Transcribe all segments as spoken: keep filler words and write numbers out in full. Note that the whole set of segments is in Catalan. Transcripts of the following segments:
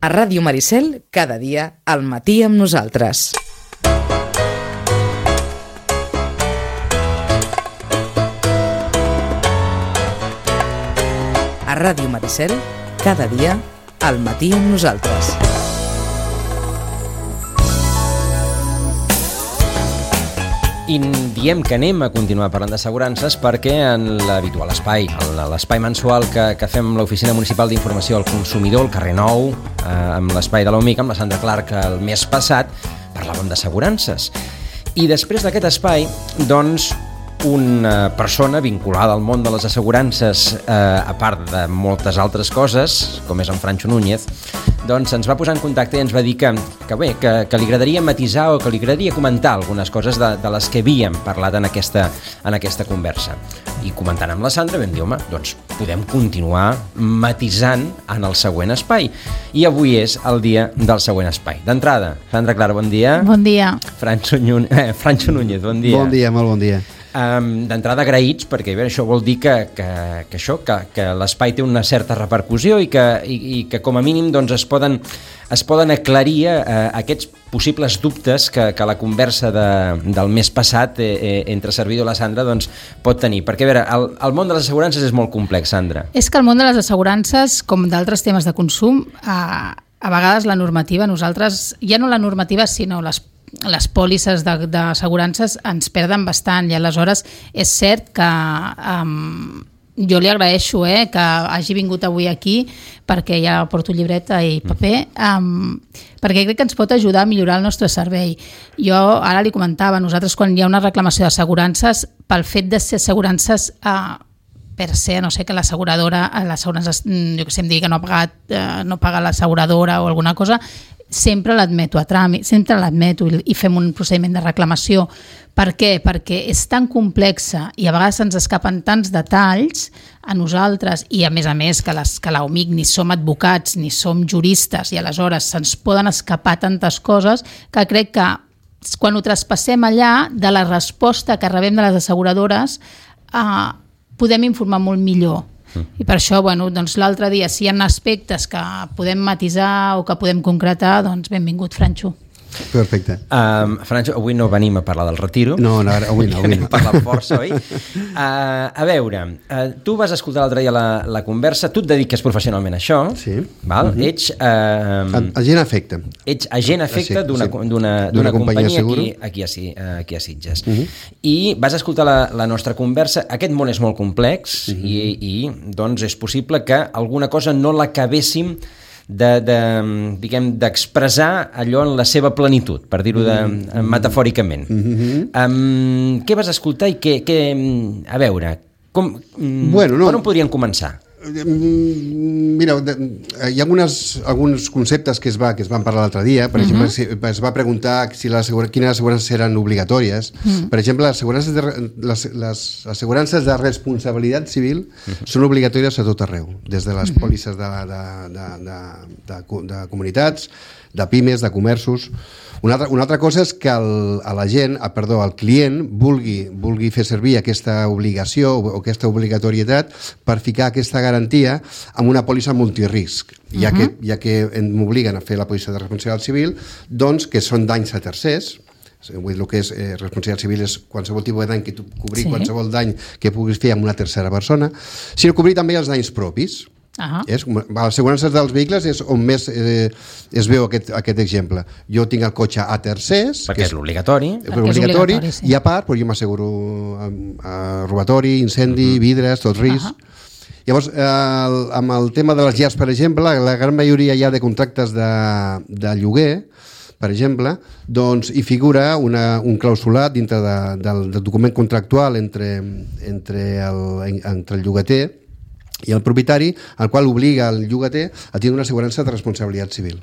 A Ràdio Maricel, cada dia, al matí amb nosaltres. A Ràdio Maricel, cada dia, al matí amb nosaltres. I diem que anem a continuar parlant d'assegurances perquè en l'habitual espai, l'espai mensual que, que fem amb l'Oficina Municipal d'Informació al Consumidor, al carrer Nou, eh, amb l'espai de l'O M I C, amb la Sandra Clark, el mes passat, parlàvem d'assegurances. I després d'aquest espai, doncs, una persona vinculada al món de les assegurances, eh, a part de moltes altres coses, com és en Francho Núñez, doncs ens va posar en contacte i ens va dir que, que bé, que, que li agradaria matisar o que li agradaria comentar algunes coses de, de les que havíem parlat en aquesta, en aquesta conversa. I comentant amb la Sandra vam dir, home, doncs podem continuar matisant en el següent espai. I avui és el dia del següent espai. D'entrada, Sandra Clara, bon dia. Bon dia. Francho, Nyu... eh, Francho Núñez, bon dia. Bon dia, molt bon dia. Um, d'entrada agraïts, perquè bé, això vol dir que, que, que, això, que, que l'espai té una certa repercussió i que, i, i que com a mínim doncs, es, poden, es poden aclarir eh, aquests possibles dubtes que, que la conversa de, del mes passat eh, eh, entre servidor i la Sandra doncs, pot tenir. Perquè a veure, el, el món de les assegurances és molt complex, Sandra. És que el món de les assegurances, com d'altres temes de consum, a, a vegades la normativa, nosaltres, ja no la normativa, sinó les les pòlisses d'assegurances ens perden bastant i aleshores és cert que um, jo li agraeixo eh, que hagi vingut avui aquí perquè ja porto llibreta i paper um, perquè crec que ens pot ajudar a millorar el nostre servei. Jo ara li comentava, nosaltres quan hi ha una reclamació d'assegurances, pel fet de ser assegurances uh, per ser, no sé, que l'asseguradora, l'assegurança, jo que sé, em digui que no ha pagat, uh, no paga l'asseguradora o alguna cosa, sempre l'admeto a tràmit, sempre l'admeto i, i fem un procediment de reclamació. Per què? Perquè és tan complexa i a vegades ens escapen tants detalls a nosaltres i a més a més que, les, que l'O M I C ni som advocats ni som juristes i aleshores se'ns poden escapar tantes coses que crec que quan ho traspassem allà de la resposta que rebem de les asseguradores eh, podem informar molt millor. I per això, bueno, doncs l'altre dia, si hi ha aspectes que podem matisar o que podem concretar, doncs benvingut, Francho. Perfecte. Um, Francho, avui no venim a parlar del retiro. No, no avui no. Avui no. A parlar força, oi? Uh, a veure, uh, tu vas escoltar l'altre dia la, la conversa, tu et dediques professionalment a això, sí. Val? Uh-huh. Ets... Uh, agent efecte. Ets agent efecte d'una sí. companyia, companyia aquí, aquí, a, aquí a Sitges. Uh-huh. I vas escoltar la, la nostra conversa. Aquest món és molt complex uh-huh. i, i doncs és possible que alguna cosa no l'acabéssim de, de, diguem, d'expressar allò en la seva plenitud, per dir-ho de, mm-hmm. metafòricament. Mm-hmm. Um, què vas escoltar i què... què a veure, com, bueno, no. per on podríem començar? Mira, hi ha algunes, alguns conceptes que es, va, que es van parlar l'altre dia. Per uh-huh. exemple, es va preguntar si les, quines assegurances eren obligatòries. Uh-huh. Per exemple, les assegurances de, les, les assegurances de responsabilitat civil uh-huh. són obligatòries a tot arreu, des de les uh-huh. pòlisses de, de, de, de, de, de comunitats, de pimes, de comerços. Una altra, una altra cosa és que el, a la gent, ah, perdó, el client vulgui, vulgui fer servir aquesta obligació o aquesta obligatorietat per ficar aquesta garantia amb una pòlissa multirisc, ja, uh-huh. que, ja que m'obliguen a fer la pòlissa de responsabilitat civil, doncs que són danys a tercers. Vull dir, el que és eh, responsabilitat civil és qualsevol tipus de dany que tu cobrir, sí. qualsevol dany que puguis fer amb una tercera persona, sinó cobrir també els danys propis. Uh-huh. És, a les assegurances dels vehicles és on més eh, es veu aquest, aquest exemple. Jo tinc el cotxe a tercers, perquè és l'obligatori, és obligatori, és sí. i a part però jo m'asseguro a, a robatori, incendi, uh-huh. vidres, tot risc. Uh-huh. Llavors, eh, amb el tema de les llars, per exemple, la gran majoria ja de contractes de, de lloguer, per exemple, doncs hi figura una, un clausulat dintre de, del, del document contractual entre, entre, el, entre el llogater i el propietari, el qual obliga el llogater a tenir una assegurança de responsabilitat civil.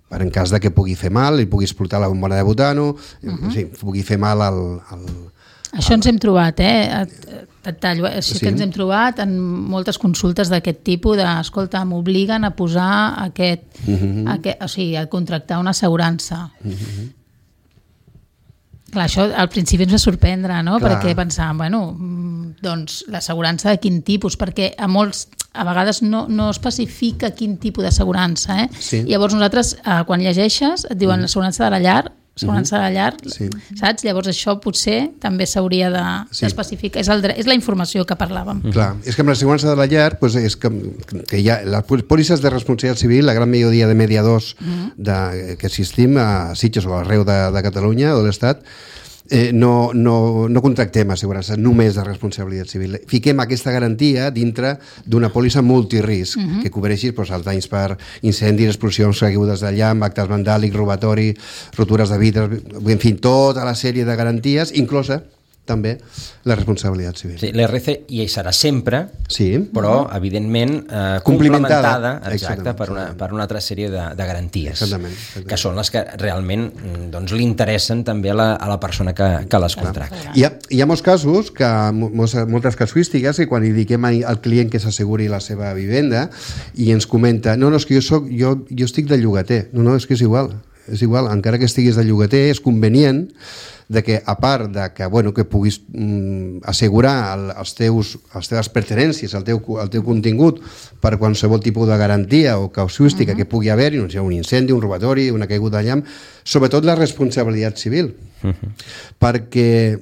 Per en cas de que pugui fer mal, ell pugui explotar la bombona de butano, uh-huh. sí, pugui fer mal al... al Això ens hem trobat, eh? Et tallo, sí, sí que ens hem trobat en moltes consultes d'aquest tipus de, escolta, m'obliguen a posar aquest, uh-huh. aquest, o sigui, a contractar una assegurança. Uh-huh. Clar, això al principi ens va sorprendre, no? Clar. Perquè pensàvem, bueno, doncs l'assegurança de quin tipus? Perquè a molts, a vegades no, no especifica quin tipus d'assegurança, eh? Sí. Llavors nosaltres, eh, quan llegeixes, et diuen Mm. assegurança de la llar, assegurança de la llar, Sí. saps? Llavors això potser també s'hauria de- Sí. d'especificar. És, el, dre- és la informació que parlàvem. Clar, és que amb l'assegurança de la llar doncs és que, que hi ha les pòlisses de responsabilitat civil, la gran majoria de mediadors de, que assistim a Sitges o arreu de, de Catalunya o de l'Estat, eh, no, no, no contractem assegurances només de responsabilitat civil. Fiquem aquesta garantia dintre d'una pòlissa multirisc, que cobreixi doncs, els danys per incendis, explosions, caigudes de llamp, actes vandàlics, robatori, rotures de vidres, en fi, tota la sèrie de garanties, inclosa també la responsabilitat civil. Sí, l'R C hi serà sempre, Sí. però, evidentment, eh, Complementada. complementada exacte, Exactament, per, una, exactament. per una altra sèrie de, de garanties, Exactament, exactament. que són les que realment mm, doncs, li interessen també a la, a la persona que, que les contracta. Hi ha, hi ha molts casos, que, molts, moltes casuístiques, que quan li diguem al client que s'asseguri la seva vivenda i ens comenta, no, no, és que jo, soc, jo, jo estic de llogater. No, no, és que és igual. És igual, encara que estiguis de llogater, és convenient de que, a part de que, bueno, que puguis mm, assegurar el, els teus, les teves pertenències, el teu, el teu contingut per qualsevol tipus de garantia o casuística uh-huh. que pugui haver-hi, no sé, un incendi, un robatori, una caiguda de llamp, sobretot la responsabilitat civil. Uh-huh. Perquè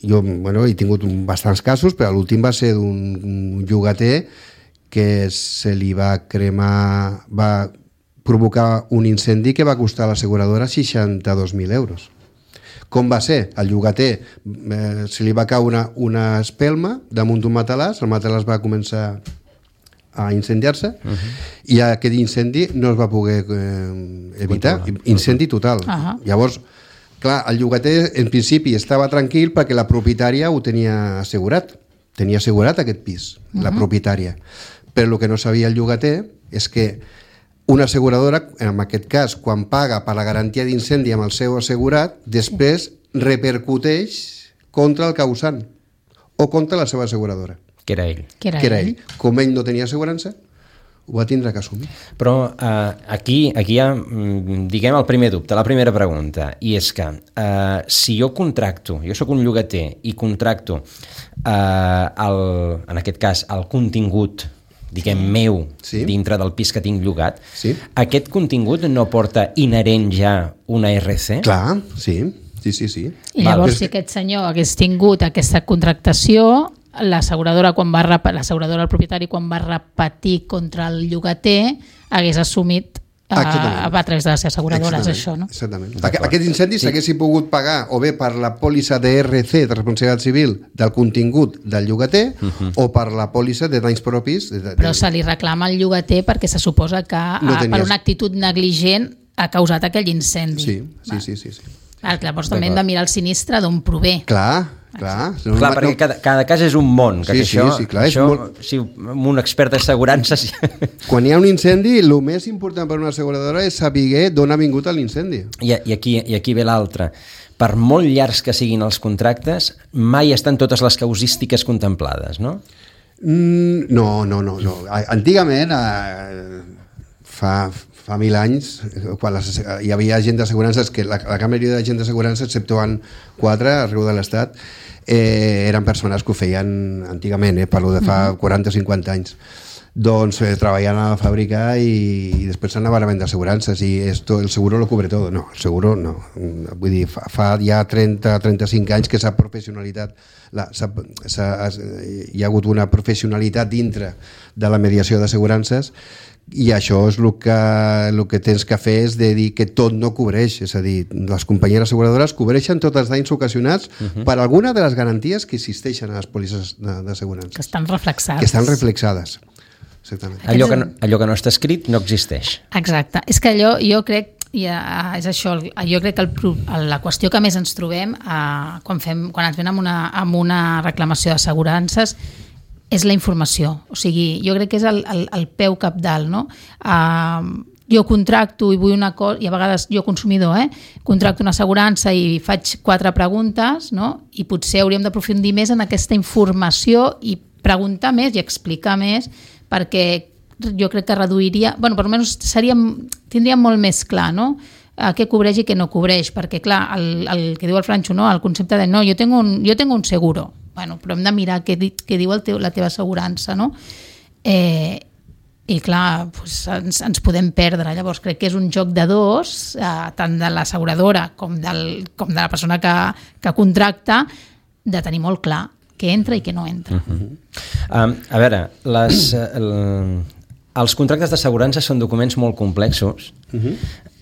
jo, bueno, he tingut bastants casos, però l'últim va ser d'un llogater que se li va cremar, va provocar un incendi que va costar a l'asseguradora seixanta-dos mil euros. Com va ser? El llogater eh, se li va caure una, una espelma damunt d'un matalàs, el matalàs va començar a incendiar-se uh-huh. i aquest incendi no es va poder eh, evitar, incendi total. Uh-huh. Llavors, clar, el llogater en principi estava tranquil perquè la propietària ho tenia assegurat, tenia assegurat aquest pis, uh-huh. la propietària. Però el que no sabia el llogater és que una asseguradora, en aquest cas, quan paga per la garantia d'incendi amb el seu assegurat, després repercuteix contra el causant o contra la seva asseguradora. Que era ell. Que era, que era ell. ell. Com ell no tenia assegurança, ho va tindre que assumir. Però eh, aquí, aquí hi ha, diguem, el primer dubte, la primera pregunta, i és que eh, si jo contracto, jo sóc un llogater i contracto, eh, el, en aquest cas, el contingut diguem, meu, sí. dintre del pis que tinc llogat, sí. aquest contingut no porta inherent ja una R C? Clar, sí, sí, sí. sí. I llavors, si aquest senyor hagués tingut aquesta contractació, l'asseguradora, quan va rep... l'asseguradora, el propietari, quan va repetir contra el llogater, hagués assumit a, a través de les asseguradores, això, no? Exactament. Aqu- aquest incendi s'haguessin pogut pagar o bé per la pòlissa de R C, de responsabilitat civil, del contingut del llogater, uh-huh. o per la pòlissa de danys propis. De, de... Però se li reclama al llogater perquè se suposa que No ah, tenies- per una actitud negligent ha causat aquell incendi. Sí, sí, sí, sí, sí. Clar, llavors també hem de mirar el sinistre d'on prové. Clar, clar. No, Clar, no, perquè cada, cada cas és un món, que, Sí, que això, sí, sí, clar, és això molt- si un expert d'assegurances... Quan hi ha un incendi, el més important per una asseguradora és saber d'on ha vingut l'incendi. I, i, aquí, I aquí ve l'altre. Per molt llargs que siguin els contractes, mai estan totes les causístiques contemplades, no? Mm, no, no, no, no. Antigament, eh, fa, fa mil anys, quan les, hi havia gent d'assegurances, que la, la gran majoria de gent d'assegurances, exceptuant quatre arreu de l'Estat, eh, eren persones que ho feien antigament, eh, parlo de fa quaranta o cinquanta anys. Doncs eh, treballant a la fàbrica i, i després s'anaven a vendre assegurances i esto, el seguro lo cubre todo. No, el seguro no. Vull dir, fa, fa ja trenta a trenta-cinc anys que s'ha professionalitat, la, s'ha, s'ha, hi ha hagut una professionalitat dintre de la mediació d'assegurances i això és el que, el que tens que fer és de dir que tot no cobreix, és a dir, les companyies asseguradores cobreixen tots els danys ocasionats uh-huh. per alguna de les garanties que existeixen a les pòlisses d'assegurances. Que estan reflexades. Que estan reflexades. Exactament. Allò que, no, allò que no està escrit no existeix. Exacte. És que allò, jo crec, ja, és això, jo crec que el, la qüestió que més ens trobem eh, quan, fem, quan ens ven amb una, amb una reclamació d'assegurances és la informació. O sigui, jo crec que és el, el, el peu capdalt, no? Uh, jo contracto i vull una cosa, i a vegades jo consumidor, eh, contracto una assegurança i faig quatre preguntes, no? I potser hauríem d'aprofundir més en aquesta informació i preguntar més i explicar més, perquè jo crec que reduiria, bueno, per almenys seríem, tindríem molt més clar, no? Uh, què cobreix i què no cobreix, perquè clar, el, el que diu el Francho, no? El concepte de no, jo tengo un, jo tengo un seguro, bueno, però hem de mirar què, què diu el teu, la teva assegurança, no? Eh, I clar, doncs ens, ens podem perdre. Llavors crec que és un joc de dos, eh, tant de l'asseguradora com, del, com de la persona que, que contracta, de tenir molt clar què entra i què no entra. Uh-huh. um, a veure, les, el, els contractes d'assegurança són documents molt complexos, uh-huh.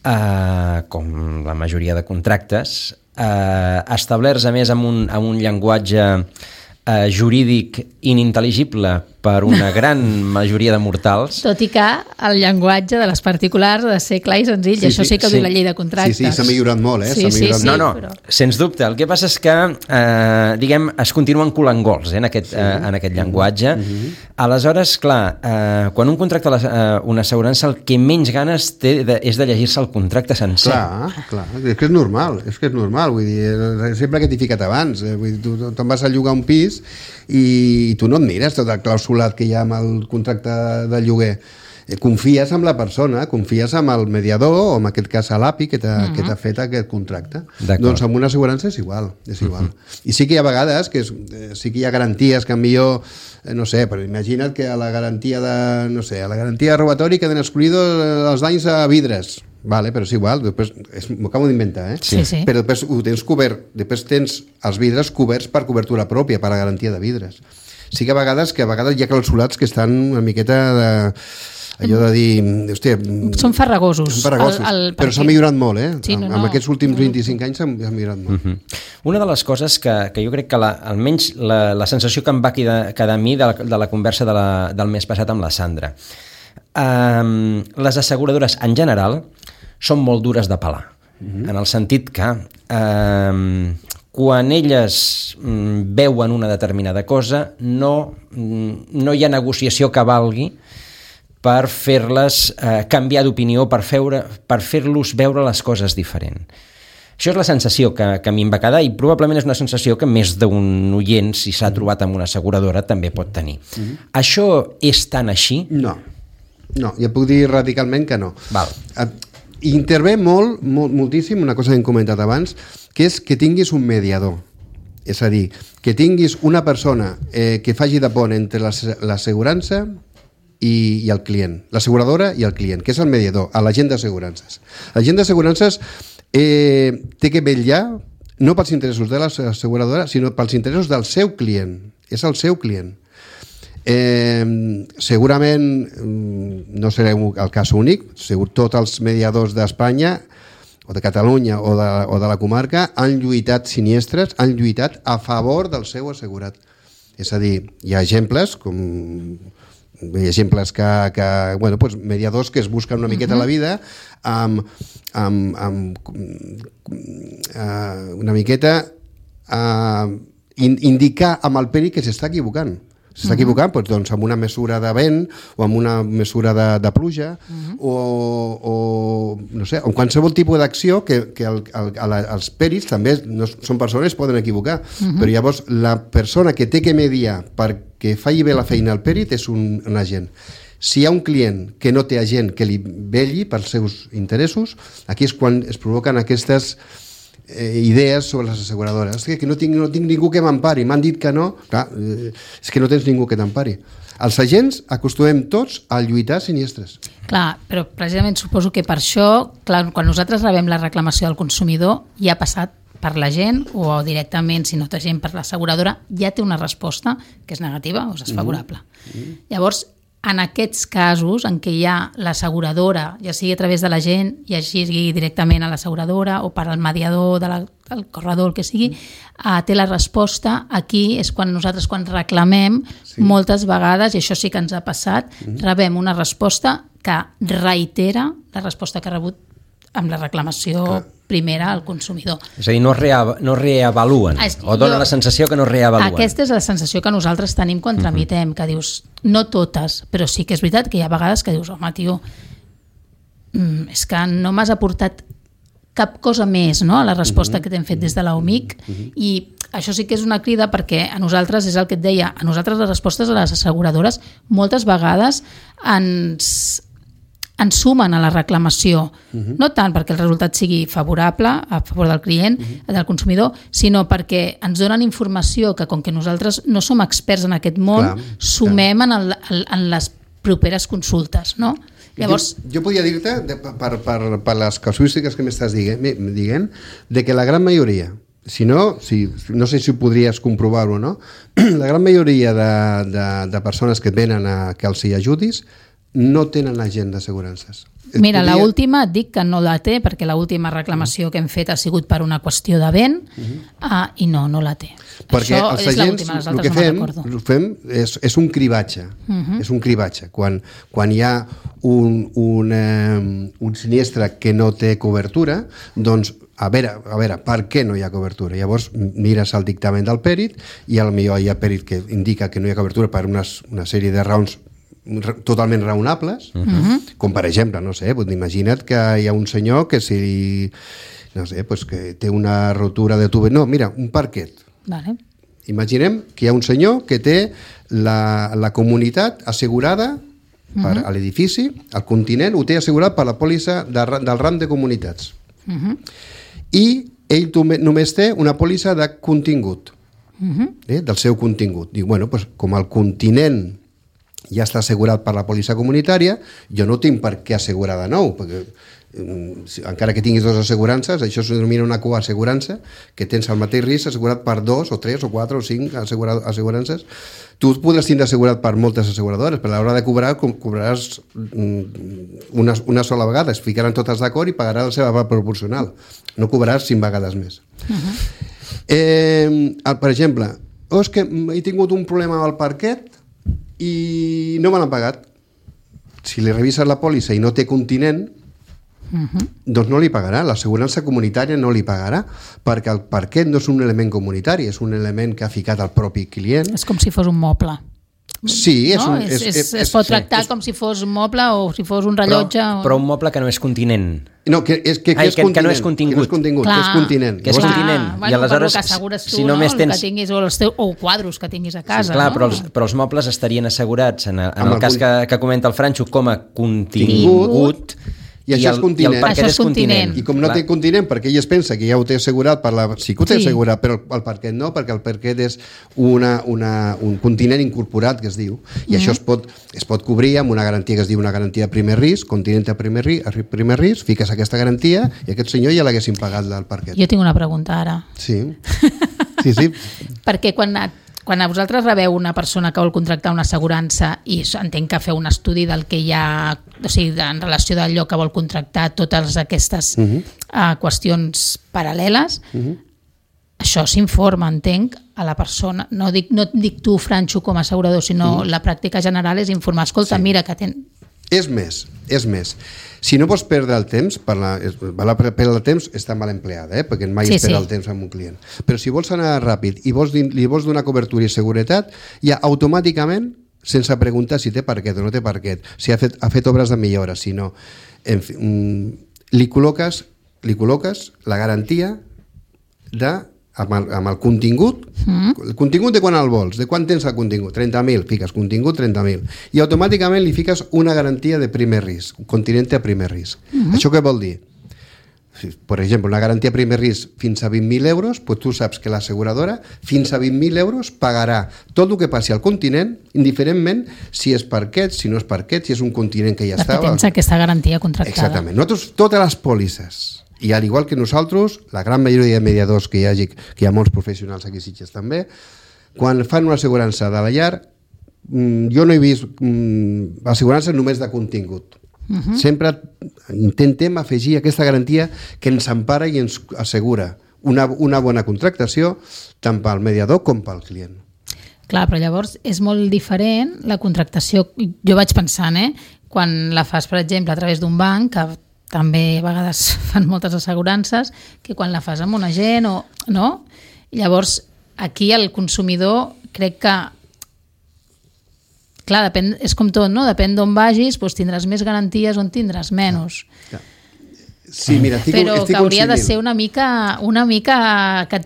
uh, com la majoria de contractes, uh, establerts a més amb un, amb un llenguatge uh, jurídic inintel·ligible per una gran majoria de mortals. Tot i que el llenguatge de les particulars ha de ser clar i senzill, sí, i això sí, sí que ho sí. diu la llei de contractes. Sí, sí, s'ha millorat molt, eh? Sí, s'ha millorat sí, sí, no, no, però... sens dubte. El que passa és que, eh, diguem, es continuen colant gols eh, en, aquest, sí. eh, en aquest llenguatge. Mm-hmm. Aleshores, clar, eh, quan un contracta la, eh, una assegurança, el que menys ganes té de, és de llegir-se el contracte sencer. Clar, clar, és que és normal, és que és normal, vull dir, sempre que t'hi ficat abans, eh, vull dir, tu te'n vas a llogar un pis i tu no et mires tot el clausulat que hi ha amb el contracte de lloguer. Confies en la persona, confies en el mediador o en aquest cas a l'A P I que t'ha uh-huh. que t'ha fet aquest contracte. Doncs amb una assegurança és igual, és igual. Uh-huh. I sí que hi ha vegades que és, eh, sí que hi ha garanties que millor, eh, no sé, però imagina't que a la garantia de, no sé, a la garantia de robatori queden excluïdos els danys a vidres. Vale, però és igual, després m'ho acabo d'inventar, eh? Sí, sí. Però després ho tens cobert, després tens els vidres coberts per cobertura pròpia, per la garantia de vidres. Sí que a vegades que a vegades hi ha clausulats que estan una miqueta de allò de dir, hòstia... Són farragosos. Són farragosos, el, el, però s'ha millorat molt, eh? Sí, no, no, amb aquests últims vint-i-cinc anys s'ha millorat molt. Uh-huh. Una de les coses que, que jo crec que la, almenys la, la sensació que em va quedar, quedar a mi de la, de la conversa de la, del mes passat amb la Sandra, um, les asseguradores en general són molt dures de pelar, uh-huh. en el sentit que um, quan elles um, veuen una determinada cosa no, um, no hi ha negociació que valgui per fer-les eh, canviar d'opinió, per, feure, per fer-los veure les coses diferent. Això és la sensació que, que a mi em va quedar i probablement és una sensació que més d'un oient, si s'ha trobat amb una asseguradora, també pot tenir. Mm-hmm. Això és tan així? No, no, ja puc dir radicalment que no. Val. Intervé molt, molt, moltíssim, una cosa que hem comentat abans, que és que tinguis un mediador. És a dir, que tinguis una persona eh, que faci de pont entre l'assegurança I, i el client, l'asseguradora i el client, que és el mediador, l'agent d'assegurances. L'agent d'assegurances eh, té que vetllar no pels interessos de l'asseguradora, sinó pels interessos del seu client. És el seu client. Eh, segurament no serà el cas únic, segur tots els mediadors d'Espanya o de Catalunya o de, o de la comarca han lluitat siniestres, han lluitat a favor del seu assegurat. És a dir, hi ha exemples com... hi ha exemples que, que bueno, pues mediadors que es busquen una miqueta uh-huh. la vida amb, amb, amb uh, una miqueta uh, in, indicar amb el peri que s'està equivocant s'està uh-huh. equivocant doncs, doncs amb una mesura de vent o amb una mesura de, de pluja uh-huh. o, o no sé, amb qualsevol tipus d'acció que, que el, el, el, els peris també no, són persones, poden equivocar uh-huh. però llavors la persona que té que mediar perquè faci bé la feina al perit és un, un agent. Si hi ha un client que no té agent que li velli pels seus interessos, aquí és quan es provoquen aquestes eh, idees sobre les asseguradores. És que no tinc, no tinc ningú que m'empari, m'han dit que no. Clar, eh, és que no tens ningú que t'empari. Els agents acostumem tots a lluitar siniestres. Clar, però precisament suposo que per això, clar, quan nosaltres rebem la reclamació del consumidor, ja ha passat per la gent o directament, si no té gent per l'asseguradora, ja té una resposta que és negativa o és desfavorable. Mm-hmm. Llavors, en aquests casos en què hi ha l'asseguradora, ja sigui a través de la gent, ja sigui directament a l'asseguradora o per al mediador de la, del corredor, el que sigui, eh, té la resposta, aquí és quan nosaltres, quan reclamem, sí. moltes vegades, i això sí que ens ha passat, mm-hmm. rebem una resposta que reitera la resposta que ha rebut amb la reclamació Clar. primera al consumidor. És a dir, no, rea, no reavaluen, es, o donen jo, la sensació que no reavaluen. Aquesta és la sensació que nosaltres tenim quan tramitem, uh-huh. que dius, no totes, però sí que és veritat que hi ha vegades que dius, home, tio, mm, és que no m'has aportat cap cosa més, no?, a la resposta uh-huh. que t'hem fet des de l'OMIC, uh-huh. i això sí que és una crida perquè a nosaltres, és el que et deia, a nosaltres les respostes a les asseguradores moltes vegades ens... ensumen a la reclamació, uh-huh. no tant perquè el resultat sigui favorable a favor del client, uh-huh. del consumidor, sinó perquè ens donen informació que, com que nosaltres no som experts en aquest món, clar, sumem clar. En, el, en les properes consultes, no? Llavors... Jo, jo podria dir-te, per, per, per les casuístiques que m'estàs dient, dient, de que la gran majoria, si no, si, no sé si podries comprovar-ho o no, la gran majoria de, de, de persones que venen a que els hi ajudis no tenen agent d'assegurances. Mira, podria... l'última et dic que no la té, perquè l'última reclamació que hem fet ha sigut per una qüestió de vent, uh-huh. uh, i no, no la té. Perquè Això els és agents, les el que fem, no fem és, és un cribatge. Uh-huh. És un cribatge. Quan, quan hi ha un, un, eh, un sinistre que no té cobertura, doncs a veure, a veure, per què no hi ha cobertura? Llavors mires el dictamen del pèrit i potser hi ha pèrit que indica que no hi ha cobertura per unes, una sèrie de raons totalment raonables, uh-huh. com per exemple, no sé, imagina't que hi ha un senyor que si, no sé, pues que té una rotura de tuberia, no, mira, un parquet. Vale. Imaginem que hi ha un senyor que té la, la comunitat assegurada uh-huh. per a l'edifici, el continent ho té assegurat per la pòlissa de, del ram de comunitats. Uh-huh. I ell només té una pòlissa de contingut, uh-huh. eh, del seu contingut. Diu, bueno, pues, com el continent ja està assegurat per la pòlissa comunitària, jo no tinc per què assegurar de nou, perquè eh, encara que tinguis dues assegurances, això es denomina una coassegurança, que tens el mateix risc assegurat per dos, o tres, o quatre, o cinc assegurances. Tu podràs tindre assegurat per moltes asseguradores, però a l'hora de cobrar, cobraràs una, una sola vegada, es ficaran totes d'acord i pagaràs la seva part proporcional. No cobraràs cinc vegades més. Uh-huh. eh, per exemple, oh, és que he tingut un problema amb el parquet i no me l'han pagat. Si li revises la pòlissa i no té continent, uh-huh. doncs no li pagarà, l'assegurança comunitària no li pagarà, perquè el parquet no és un element comunitari, és un element que ha ficat el propi client. És com si fos un moble. Sí, és no? un... És, és, és, es pot tractar sí, com si fos un moble o si fos un rellotge. Però, o... però un moble que no és continent. No, que és, que, que Ai, és que, continent. Que no és contingut. Que no és contingut, clar, que és continent. Que és Llavors, continent. Bueno, I aleshores, per el que assegures tu, si no? només tens... Que tinguis, o, els teus, o quadros que tinguis a casa. Sí, clar, no? però, els, però els mobles estarien assegurats, en, en el, el cas que, que comenta el Franxo, com a contingut. I això és continent. I el parquet això és continent. I com no clar. Té continent, perquè ell es pensa que ja ho té assegurat, per la... sí que ho té sí. assegurat, però el parquet no, perquè el parquet és una, una, un continent incorporat, que es diu, i mm. això es pot, es pot cobrir amb una garantia que es diu una garantia de primer risc, continent de primer risc, primer risc, fiques aquesta garantia i aquest senyor ja l'haguessin pagat del parquet. Jo tinc una pregunta ara. Sí, sí, sí. Perquè quan... Quan a vosaltres rebeu una persona que vol contractar una assegurança i entenc que feu un estudi del que hi ha, o sigui, en relació d'allò que vol contractar, totes aquestes uh-huh. uh, qüestions paral·leles, uh-huh. això s'informa, entenc, a la persona. No dic, no dic tu, Franxo, com a assegurador, sinó uh-huh. la pràctica general és informar. Escolta, sí. mira, que ten... És més, és més. Si no vols perdre el temps, per la, la perdre el temps està mal empleada, eh? Perquè mai sí, es perd sí. el temps amb un client. Però si vols anar ràpid i vols, li vols donar cobertura i seguretat, ja automàticament, sense preguntar si té parquet o no té parquet, si ha fet, ha fet obres de millora, si no, en fi, li col·loques, li col·loques la garantia de amb el, amb el contingut, mm. el contingut de quan el vols, de quan tens el contingut, trenta mil, fiques contingut trenta mil, i automàticament li fiques una garantia de primer risc, un continent a primer risc. Mm. Això què vol dir? Si, per exemple, una garantia a primer risc fins a vint mil euros, doncs tu saps que l'asseguradora fins a vint mil euros pagarà tot el que passi al continent, indiferentment si és parquet, si no és parquet, si és un continent que ja Perquè estava... Perquè tens aquesta garantia contractada. Exactament. Nosaltres, totes les pòlisses, i al igual que nosaltres, la gran majoria de mediadors que hi hagi, que hi ha molts professionals aquí a Sitges també, quan fan una assegurança de la llar, jo no he vist assegurances només de contingut. Uh-huh. Sempre intentem afegir aquesta garantia que ens empara i ens assegura una, una bona contractació tant pel mediador com pel client. Clar, però llavors és molt diferent la contractació, jo vaig pensant, eh, quan la fas, per exemple, a través d'un banc, que també a vegades fan moltes assegurances, que quan la fas amb un agent o no, i llavors aquí el consumidor crec que clar, depèn, és com tot, no? Depèn d'on vagis, doncs tindràs més garanties o en tindràs menys. Ja, ja. Sí, mira, estic, però estic que hauria de consumint. ser una mica, una mica que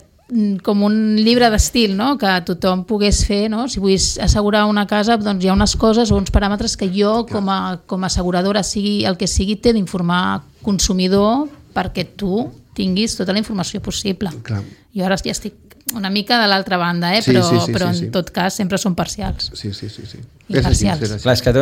com un llibre d'estil, no? Que tothom pogués fer, no? Si vull assegurar una casa, doncs hi ha unes coses o uns paràmetres que jo, com a, com a asseguradora, sigui el que sigui, t'he d'informar consumidor perquè tu tinguis tota la informació possible. Clar. Jo ara ja estic una mica de l'altra banda, eh? però, sí, sí, sí, però en sí, sí. tot cas sempre són parcials. Sí, sí, sí. sí. I parcials. És així, Clar, és que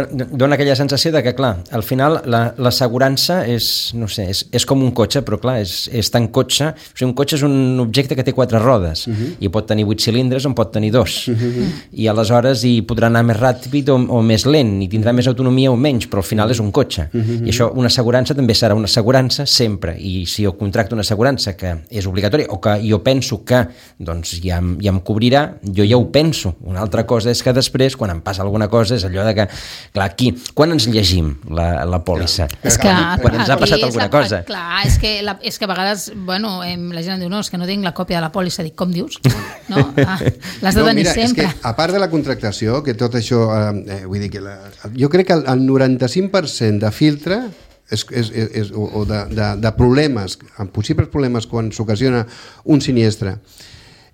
dona aquella sensació de que, clar, al final l'assegurança és, no sé, és, és com un cotxe, però clar, és, és tan cotxe, o sigui, un cotxe és un objecte que té quatre rodes, uh -huh. i pot tenir vuit cilindres o en pot tenir dos, uh -huh. i aleshores hi podrà anar més ràpid o, o més lent, i tindrà més autonomia o menys, però al final és un cotxe, uh -huh. i això, una assegurança també serà una assegurança sempre, i si jo contracto una assegurança que és obligatòria, o que jo penso que doncs, ja, ja em cobrirà, jo ja ho penso. Una altra cosa és que després, quan em passa alguna cosa, és allò de que, clar, aquí, quan ens llegim la, la pòlissa? És que, quan ens ha passat alguna la, cosa. Clar, és que, la, és que a vegades, bueno, la gent em diu, no, és que no tinc la còpia de la pòlissa. Dic, com dius? No? Ah, l'has de no, tenir mira, sempre. És que, a part de la contractació, que tot això, eh, vull dir que la, jo crec que el, el noranta-cinc per cent de filtre és, és, és, és, o, o de, de, de problemes, amb possibles problemes quan s'ocasiona un sinistre,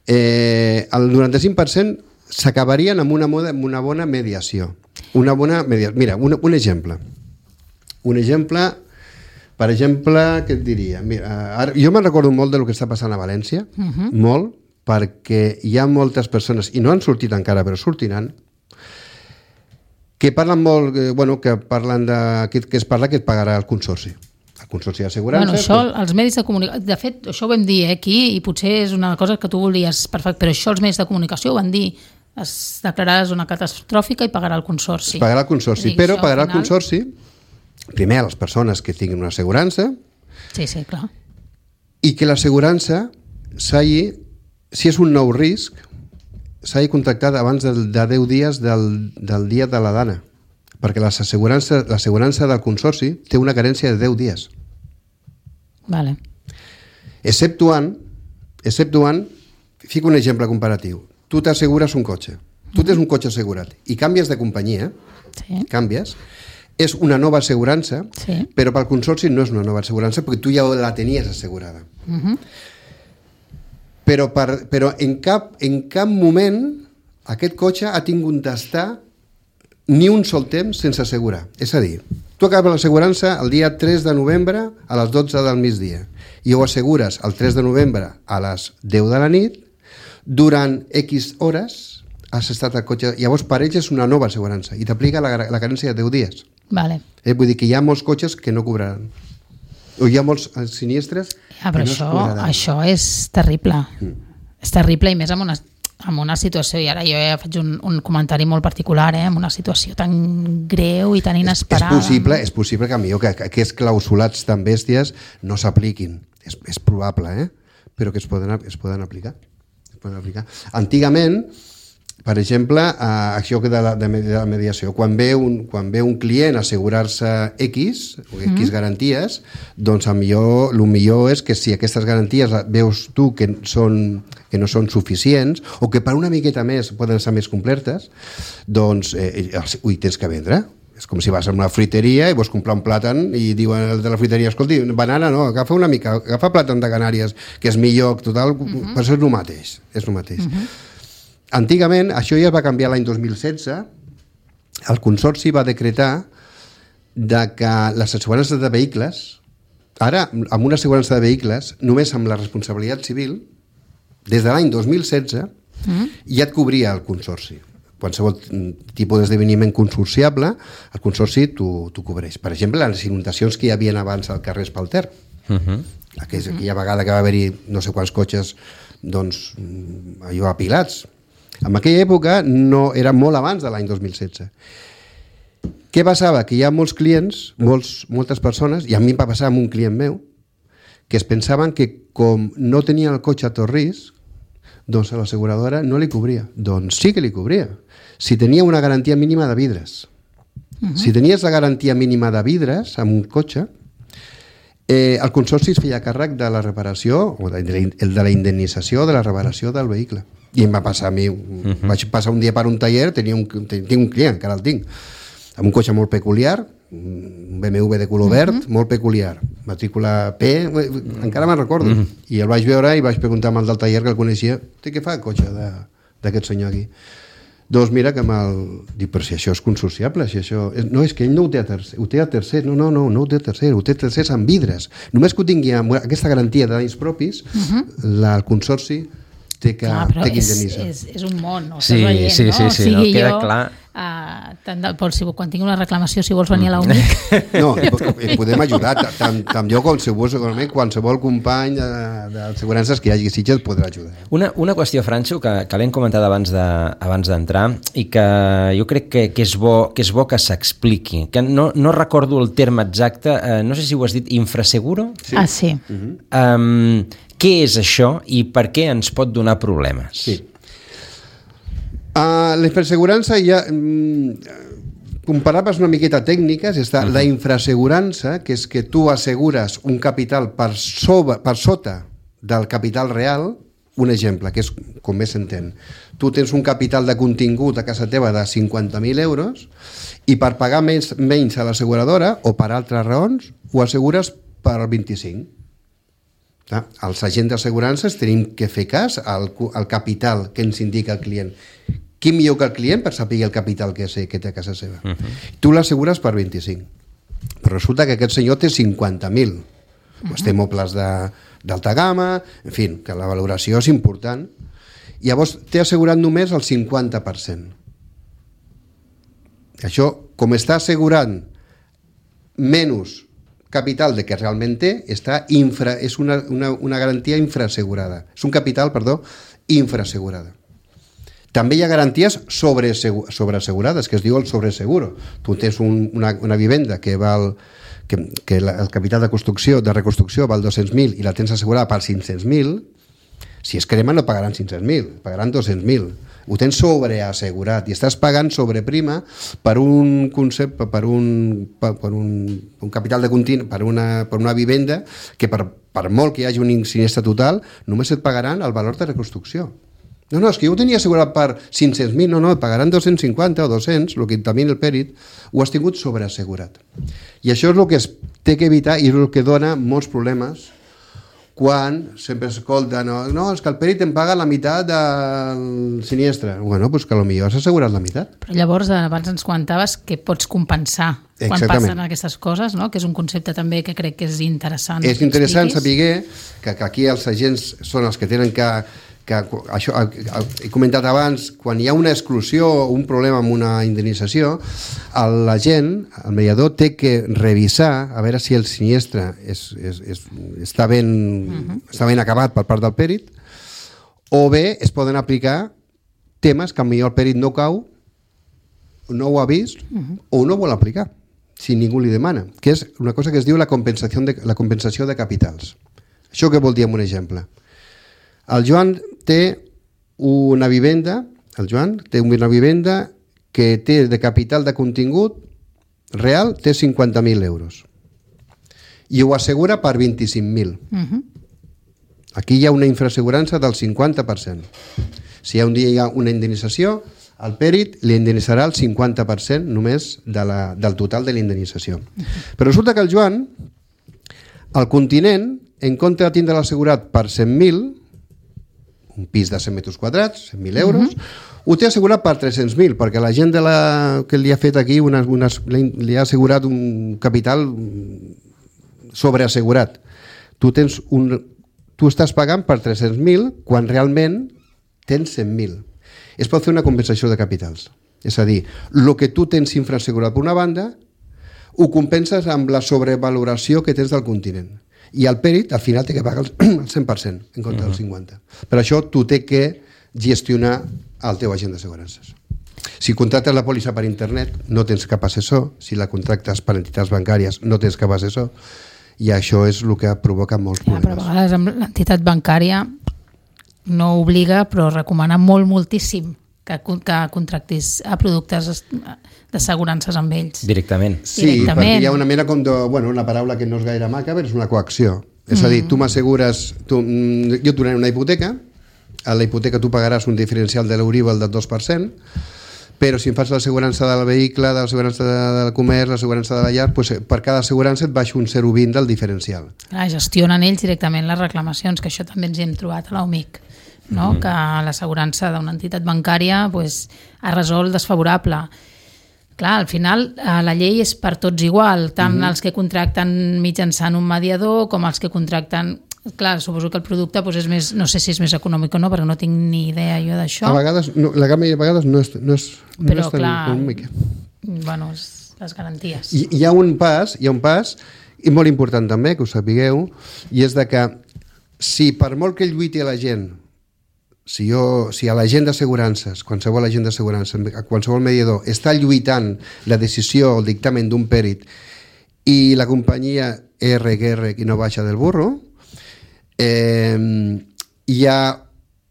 eh, el noranta-cinc per cent s'acabarien amb una, moda, amb una bona mediació. Una bona mediació. Mira, un, un exemple. Un exemple, per exemple, què et diria? Mira, ara, jo me'n recordo molt del que està passant a València, uh -huh. molt, perquè hi ha moltes persones, i no han sortit encara, però sortiran, que parlen molt, eh, bueno, que parlen de, que, que es parla que et pagarà el consorci. El consorci d'assegurança... Bueno, això, els medis de comunicació... De fet, això ho vam dir eh, aquí, i potser és una cosa que tu volies perfecte, però això els medis de comunicació ho van dir, es declararà zona catastròfica i pagarà el consorci. Es pagarà el consorci, dir, però això, pagarà al final... el consorci, primer a les persones que tinguin una assegurança, sí, sí, clar. i que l'assegurança s'hagi, si és un nou risc, s'hagi contactat abans de, de deu dies del, del dia de la dana, perquè l'assegurança del consorci té una carència de deu dies. Vale. Exceptuant, exceptuant, fico un exemple comparatiu. Tu t'assegures un cotxe, tu tens un cotxe assegurat i canvies de companyia, sí. canvies, és una nova assegurança, sí. però pel consorci no és una nova assegurança perquè tu ja la tenies assegurada. Uh-huh. Però, per, però en, cap, en cap moment aquest cotxe ha tingut d'estar ni un sol temps sense assegurar. És a dir, tu acabes l'assegurança el dia tres de novembre a les dotze del migdia i ho assegures el tres de novembre a les deu de la nit, durant X hores has estat al cotxe, llavors per ells és una nova assegurança i t'aplica la, la carència de deu dies. Vale. Eh, vull dir que hi ha molts cotxes que no cobraran. O hi ha molts sinistres ah, però que no això, es cobraran. això és terrible. Mm. És terrible i més amb una, amb una situació, i ara jo ja faig un, un comentari molt particular, eh, amb una situació tan greu i tan inesperada. És, és, possible, és possible que millor que, que aquests clausulats tan bèsties no s'apliquin. És, és probable, eh? Però que es poden, es poden aplicar. Es poden aplicar. Antigament, per exemple, eh, això de la, de la mediació, quan ve un, quan ve un client a assegurar-se X, o X mm. garanties, doncs el millor, el millor és que si aquestes garanties veus tu que, són, que no són suficients, o que per una miqueta més poden ser més completes, doncs eh, ho tens que vendre. És com si vas a una fruiteria i vols comprar un plàtan i diuen el de la fruiteria, escolti, banana no, agafa una mica, agafa plàtan de Canàries, que és millor, total, mm-hmm. però és el mateix. És el mateix. Mm-hmm. Antigament, això ja es va canviar l'any dos mil setze, el Consorci va decretar de que les assegurances de vehicles, ara, amb una assegurança de vehicles, només amb la responsabilitat civil, des de l'any dos mil setze, mm. ja et cobria el Consorci. Qualsevol tipus d'esdeveniment consorciable, el Consorci t'ho cobreix. Per exemple, les inundacions que hi havia abans al carrer Espalter, uh-huh. aquella, aquella vegada que va haver-hi no sé quants cotxes, doncs, allò apilats. En aquella època no, era molt abans de l'any dos mil setze. Què passava? Que hi ha molts clients, molts, moltes persones, i a mi em va passar amb un client meu, que es pensaven que com no tenien el cotxe a tot risc, doncs a l'asseguradora no li cobria. Doncs sí que li cobria. Si tenia una garantia mínima de vidres. Uh-huh. Si tenies la garantia mínima de vidres amb un cotxe, eh, el consorci es feia càrrec de la reparació, o de, de, de la indemnització de la reparació del vehicle. I em va passar a mi, uh-huh. vaig passar un dia per un taller, tenia un, tinc un client, encara el tinc, amb un cotxe molt peculiar, un B M W de color verd, mm-hmm. molt peculiar, matrícula P, encara me'n recordo, mm-hmm. i el vaig veure i vaig preguntar amb el del taller que el coneixia, què fa el cotxe d'aquest senyor aquí? Doncs mira que me'l... Dic, però si això és consorciable, si això... No, és que ell no ho té a tercer, ho té a tercer, no, no, no, no ho té a tercer, ho té a tercers amb vidres. Només que ho tingui amb aquesta garantia de danys propis, uh-huh. la, el consorci té que, clar, té que indemnitzar. És, és, és un món, no? Sí, veient, sí, sí, no? sí, O sigui, no, queda jo, clar. Uh, tant de, Pol, si, quan tingui una reclamació, si vols venir a la U N I C... No, i podem ajudar, tant, tant jo com qualsevol, qualsevol company d'assegurances que hi hagi a Sitges podrà ajudar. Una, una qüestió, Franxo, que, que l'hem comentat abans de, abans d'entrar i que jo crec que, que, és, bo, que és bo que s'expliqui, que no, no recordo el terme exacte, eh, no sé si ho has dit, infraseguro? Sí. Ah, sí. Uh-huh. Um, què és això i per què ens pot donar problemes? Sí. Uh, la infraassegurança ja... Um, comparaves una miqueta tècniques, està uh-huh. la infraassegurança, que és que tu assegures un capital per, sobre, per sota del capital real, un exemple, que és com més s'entén. Tu tens un capital de contingut a casa teva de cinquanta mil euros i per pagar menys, menys a l'asseguradora o per altres raons ho assegures per vint-i-cinc. Ah, els agents d'assegurances tenim que fer cas al, al capital que ens indica el client. Qui millor que el client per saber el capital que, sé, que té a casa seva? Uh-huh. Tu l'assegures per vint-i-cinc. Però resulta que aquest senyor té cinquanta mil. Uh-huh. Pues té mobles d'alta gamma, en fi, que la valoració és important. I llavors té assegurat només el cinquanta per cent. Això, com està assegurant menys capital de que realment té, està infra, és una, una, una garantia infraassegurada. És un capital, perdó, infraassegurada. També hi ha garanties sobreassegurades, que es diu el sobreseguro. Tu tens un, una, una vivenda que val, que, que la, el capital de construcció, de reconstrucció val dos-cents mil i la tens assegurada per cinc-cents mil, si es crema no pagaran cinc-cents mil, pagaran dos-cents mil. Ho tens sobreassegurat i estàs pagant sobreprima per un concepte, per un, per, per un, un capital de continu, per una, per una vivenda que per, per molt que hi hagi un sinistre total només et pagaran el valor de reconstrucció. No, no, és que jo ho tenia assegurat per cinc-cents mil, no, no, pagaran dos-cents cinquanta o dos-cents, el que també el pèrit, ho has tingut sobreassegurat. I això és el que es té que evitar i és el que dona molts problemes quan sempre s'escolta, no, no, és que el pèrit em paga la meitat del siniestre. Bueno, doncs que potser has assegurat la meitat. Però llavors, abans ens comentaves que pots compensar quan Exactament. Passen aquestes coses, no? Que és un concepte també que crec que és interessant. És interessant saber que, que aquí els agents són els que tenen que que això he comentat abans, quan hi ha una exclusió o un problema amb una indemnització, l'agent, el mediador, té que revisar a veure si el sinistre és, és, és, està, ben, uh-huh. està ben acabat per part del pèrit, o bé es poden aplicar temes que potser el pèrit no cau, no ho ha vist, uh-huh. o no vol aplicar, si ningú li demana, que és una cosa que es diu la compensació de, la compensació de capitals. Això què vol dir amb un exemple? El Joan té una vivenda, el Joan té una vivenda que té de capital de contingut real, té cinquanta mil euros. I ho assegura per vint-i-cinc mil. Uh-huh. Aquí hi ha una infraassegurança del cinquanta per cent. Si un dia hi ha una indemnització, el pèrit li indemnitzarà el cinquanta per cent només de la, del total de la indemnització. Uh-huh. Però resulta que el Joan, al continent, en compte de tindre l'assegurat per cent mil, un pis de cent metres quadrats, cent mil euros, uh-huh. ho té assegurat per tres-cents mil, perquè la gent de la, que li ha fet aquí unes, unes, li ha assegurat un capital sobreassegurat. Tu, tens un, tu estàs pagant per tres-cents mil quan realment tens cent mil. Es pot fer una compensació de capitals. És a dir, el que tu tens infraassegurat per una banda ho compenses amb la sobrevaloració que tens del continent. I el pèrit al final té que pagar el cent per cent en compte del cinquanta per cent. Per això tu té que gestionar el teu agent d'assegurances. Si contractes la pòlissa per internet no tens cap assessor, si la contractes per entitats bancàries no tens cap assessor, i això és el que provoca molts problemes. Ja, però a vegades amb l'entitat bancària no obliga, però recomana molt moltíssim que, que contractis a productes d'assegurances amb ells. Directament. Sí, Directament. Perquè hi ha una mena com de, bueno, una paraula que no és gaire maca, però és una coacció. És a dir, tu m'assegures, tu, jo et donaré una hipoteca, a la hipoteca tu pagaràs un diferencial de l'Euríbor del dos per cent, però si em fas l'assegurança del vehicle, de l'assegurança del comerç, l'assegurança de la llar, doncs per cada assegurança et baixo un zero coma vint del diferencial. Clar, gestionen ells directament les reclamacions, que això també ens hi hem trobat a l'U M I C, no? Mm. Que l'assegurança d'una entitat bancària pues, ha resolt desfavorable. Clar, al final la llei és per tots igual, tant mm-hmm. els que contracten mitjançant un mediador com els que contracten... Clar, suposo que el producte doncs, és més, no sé si és més econòmic o no, perquè no tinc ni idea jo d'això. A vegades, no, la gamma de vegades no és, no és, no Però, és tan clar, econòmica. Bueno, les garanties. I, hi ha un pas, hi ha un pas, i molt important també, que ho sapigueu, i és de que si per molt que lluiti a la gent, si, jo, si a l'agent d'assegurances, qualsevol agent d'assegurances, qualsevol mediador, està lluitant la decisió o el dictamen d'un pèrit i la companyia R G R i no baixa del burro, Eh, hi ha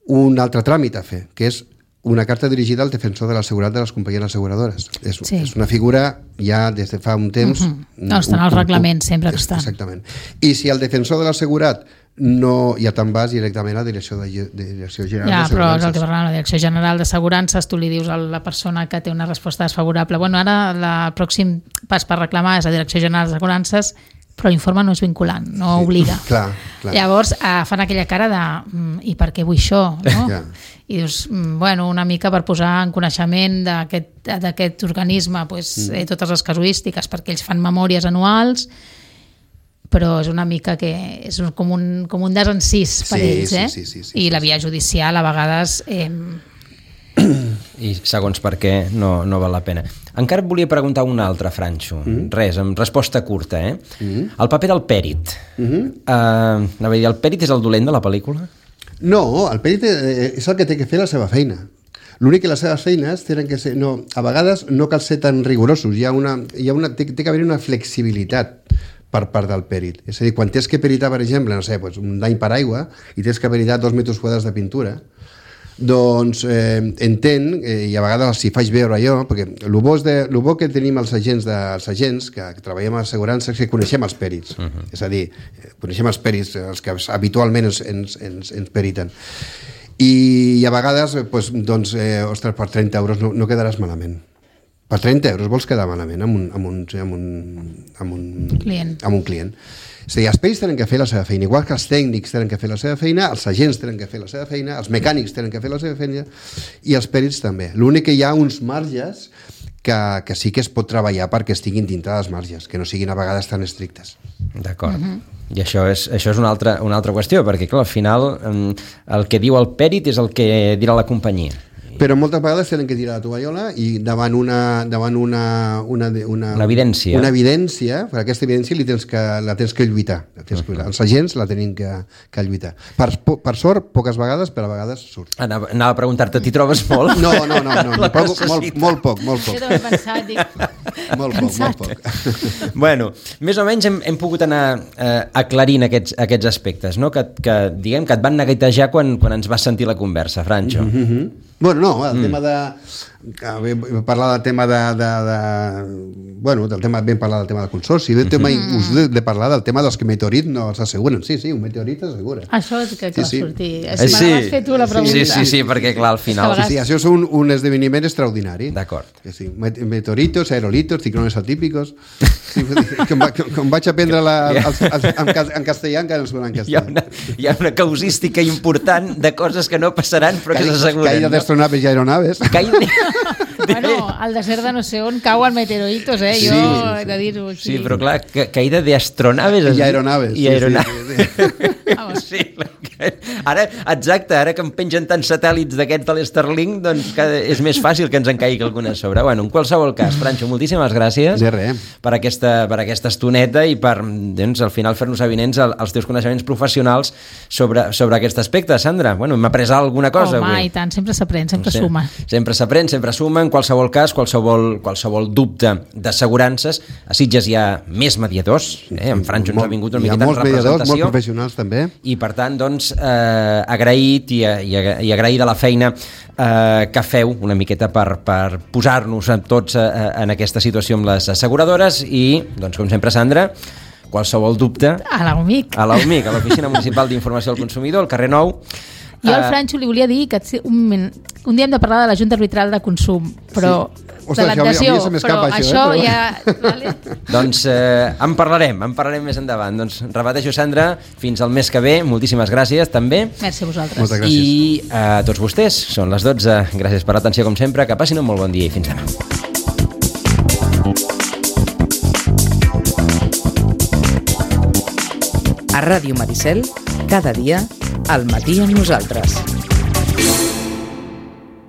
un altre tràmit a fer, que és una carta dirigida al defensor de l'assegurat de les companyies asseguradores. És, sí. és una figura ja des de fa un temps... Uh-huh. No, estan als reglaments, sempre que estan. Exactament. I si el defensor de l'assegurat no, ja te'n vas directament a la direcció, de, de direcció general ja, d'assegurances. Però és el que parlem, la direcció general d'assegurances, tu li dius a la persona que té una resposta desfavorable, bueno, ara la, el pròxim pas per reclamar és la direcció general d'assegurances, però l'informe no és vinculant, no sí, obliga. Clar, clar. Llavors eh, fan aquella cara de mm, i per què vull això? No? Yeah. I dius, mm, bueno, una mica per posar en coneixement d'aquest organisme pues, mm. eh, totes les casuístiques, perquè ells fan memòries anuals, però és una mica que és com un, com un desencís per sí, ells, eh? Sí, sí, sí, sí, I sí, la via judicial a vegades... Eh, i segons per què no, no val la pena. Encara et volia preguntar una altra, Franxo. Mm. Res, amb resposta curta, eh? Mm. El paper del pèrit. Mm-hmm. Uh, anava a dir, el pèrit és el dolent de la pel·lícula? No, el pèrit és el que té que fer la seva feina. L'únic que les seves feines tenen que ser... No, a vegades no cal ser tan rigorosos. Hi ha una, hi ha una, té, té que haver una flexibilitat per part del pèrit. És a dir, quan tens que peritar, per exemple, no sé, pues, un dany per aigua i tens que peritar dos metres quadrats de pintura, doncs eh, entén, eh, i a vegades si faig veure jo, perquè el bo, de, el bo que tenim els agents, de, els agents que, que treballem a l'assegurança és que coneixem els pèrits, uh-huh. és a dir, coneixem els pèrits, els que habitualment ens, ens, ens, ens periten. I, i a vegades, pues, doncs, eh, ostres, per trenta euros no, no quedaràs malament. Per trenta euros vols quedar malament amb un, amb un, amb un, amb un, client. Amb un client. És a dir, els pèrits tenen que fer la seva feina, igual que els tècnics tenen que fer la seva feina, els agents tenen que fer la seva feina, els mecànics tenen que fer la seva feina i els pèrits també. L'únic que hi ha uns marges que, que sí que es pot treballar perquè estiguin dintre dels marges, que no siguin a vegades tan estrictes. D'acord. Uh-huh. I això és, això és una altra, una altra qüestió, perquè clar, al final el que diu el pèrit és el que dirà la companyia. Però moltes vegades tenen que tirar la tovallola i davant una, davant una, una, una, una evidència, una evidència per aquesta evidència li tens que, la tens que lluitar. La tens que, els agents la tenen que, que lluitar. Per, per sort, poques vegades, però a vegades surt. Anava, anava a preguntar-te, t'hi trobes molt? No, no, no, no, no poc, molt, molt poc, molt poc. Jo també he pensat, dic... Molt poc, molt poc. Bueno, més o menys hem, hem pogut anar eh, aclarint aquests, aquests aspectes, no? que, que, diguem, que et van neguitejar quan, quan ens vas sentir la conversa, Franxo. Mm-hmm. Bueno, no, el mm. tema de... Vam parlar del tema de, de, de... Bueno, del tema, vam parlar del tema del consorci. Vam tema, mm. us de, de parlar del tema dels que meteorit no els asseguren. Sí, sí, un meteorit s'assegura. Això és que, que sí, sí. va sortir. Sí, sí. M'has fet tu la pregunta. Sí, sí, sí, perquè clar, al final... Sí, sí, això és un, un esdeveniment extraordinari. D'acord. Sí, meteoritos, aerolitos, ciclones atípicos... Sí, com, va, com vaig aprendre la, els, els, en, en castellà encara no es en castellà. Hi ha, una, hi ha una causística important de coses que no passaran però que s'asseguren. Caïda d'astronaves i aeronaves. Caïda... Bueno, al desert de no sé on cauen meteoritos, eh? Jo sí, he de dir-ho. Sí. sí, però clar, ca caïda d'astronaves. I aeronaves. I aeronaves. Sí, sí, sí. sí, ara, exacte, ara que em pengen tants satèl·lits d'aquests de l'Starlink, doncs és més fàcil que ens en caigui alguna a sobre. Bueno, en qualsevol cas, Franxo, moltíssimes gràcies de res. Per, aquesta, per aquesta estoneta i per, doncs, al final fer-nos avinents els teus coneixements professionals sobre, sobre aquest aspecte. Sandra, bueno, m'ha après alguna cosa? Home, avui. I tant, sempre s'aprèn, sempre no sé, suma. Sempre s'aprèn, sempre suma. En qualsevol cas, qualsevol, qualsevol dubte d'assegurances, a Sitges hi ha més mediadors, eh? En Franxo ens ha vingut una miqueta en representació. Hi ha molts mediadors, molts professionals també. I per tant, doncs, eh, agraït i, i, i agraïda la feina eh, que feu una miqueta per, per posar-nos tots eh, en aquesta situació amb les asseguradores i, doncs, com sempre, Sandra, qualsevol dubte... A l'U M I C. A l'U M I C, a l'Oficina Municipal d'Informació al Consumidor, al carrer Nou, Jo al Franxo li volia dir que un, un dia hem de parlar de la Junta Arbitral de Consum, però sí. Ostres, de l'adhesió, això, això però això, això eh? ja... Vale? Doncs eh, en parlarem, en parlarem més endavant. Doncs repeteixo, Sandra, fins al mes que ve, moltíssimes gràcies també. Merci a vosaltres. Moltes gràcies. I a tots vostès, són les dotze, gràcies per l'atenció com sempre, que passin un molt bon dia i fins demà. A Ràdio Maricel, cada dia, al matí amb nosaltres.